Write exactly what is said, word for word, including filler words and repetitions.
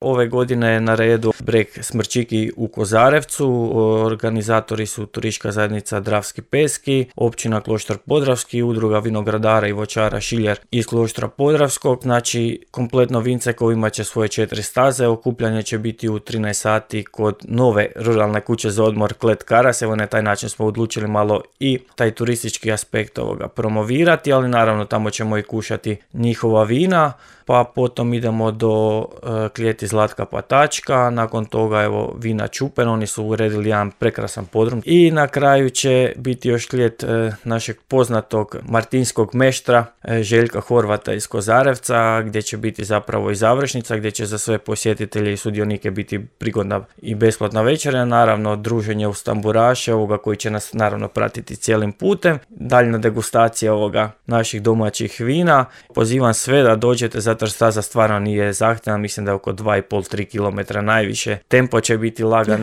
Ove godine je na redu breg Smrčiki u Kozarevcu, organizatori su Turistička zajednica Dravski Peski, općina Kloštar Podravski, udruga vinogradara i voćara Šiljer iz Kloštra Podravskog. Znači, kompletno Vincekovo imat će svoje četiri staze, okupljanje će biti u trinaest sati kod nove ruralne kuće za odmor Klet Karas. Evo, na taj način smo odlučili malo i taj turistički aspekt ovoga promovirati, ali naravno tamo ćemo i kušati njihova vina. Pa potom idemo do uh, klijeti Zlatka Patačka, nakon toga evo vina Čupen, oni su uredili jedan prekrasan podrum i na kraju će biti još klijet uh, našeg poznatog martinskog meštra uh, Željka Horvata iz Kozarevca, gdje će biti zapravo i završnica, gdje će za sve posjetitelje i sudionike biti prigodna i besplatna večera, naravno druženje uz tamburaše ovoga koji će nas naravno pratiti cijelim putem, daljna degustacija ovoga naših domaćih vina. Pozivam sve da dođete, zato jer staza stvarno nije zahtjevna, mislim da je oko dva i pol do tri kilometra najviše. Tempo će biti lagan.